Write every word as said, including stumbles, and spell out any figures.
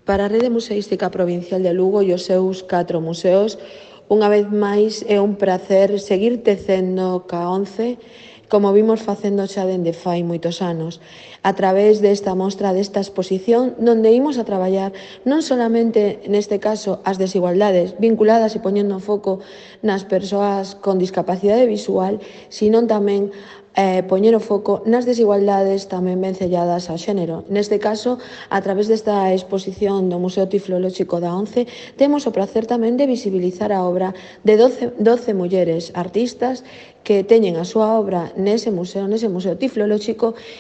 Para a Rede Museística Provincial de Lugo e os seus catro museos, unha vez máis é un prazer seguir tecendo ca ONCE, como vimos facendo xa dende fai moitos anos, a través desta mostra, desta exposición, donde imos a traballar non solamente, neste caso, as desigualdades vinculadas e poñendo foco nas persoas con discapacidade visual, sino tamén eh, poñer o foco nas desigualdades tamén vencelladas ao xénero. Neste caso, a través desta exposición do Museo Tiflolóxico da ONCE, temos o prazer tamén de visibilizar a obra de doce, doce mulleres artistas que teñen a súa obra nese museo, nese Museo Tiflolóxico,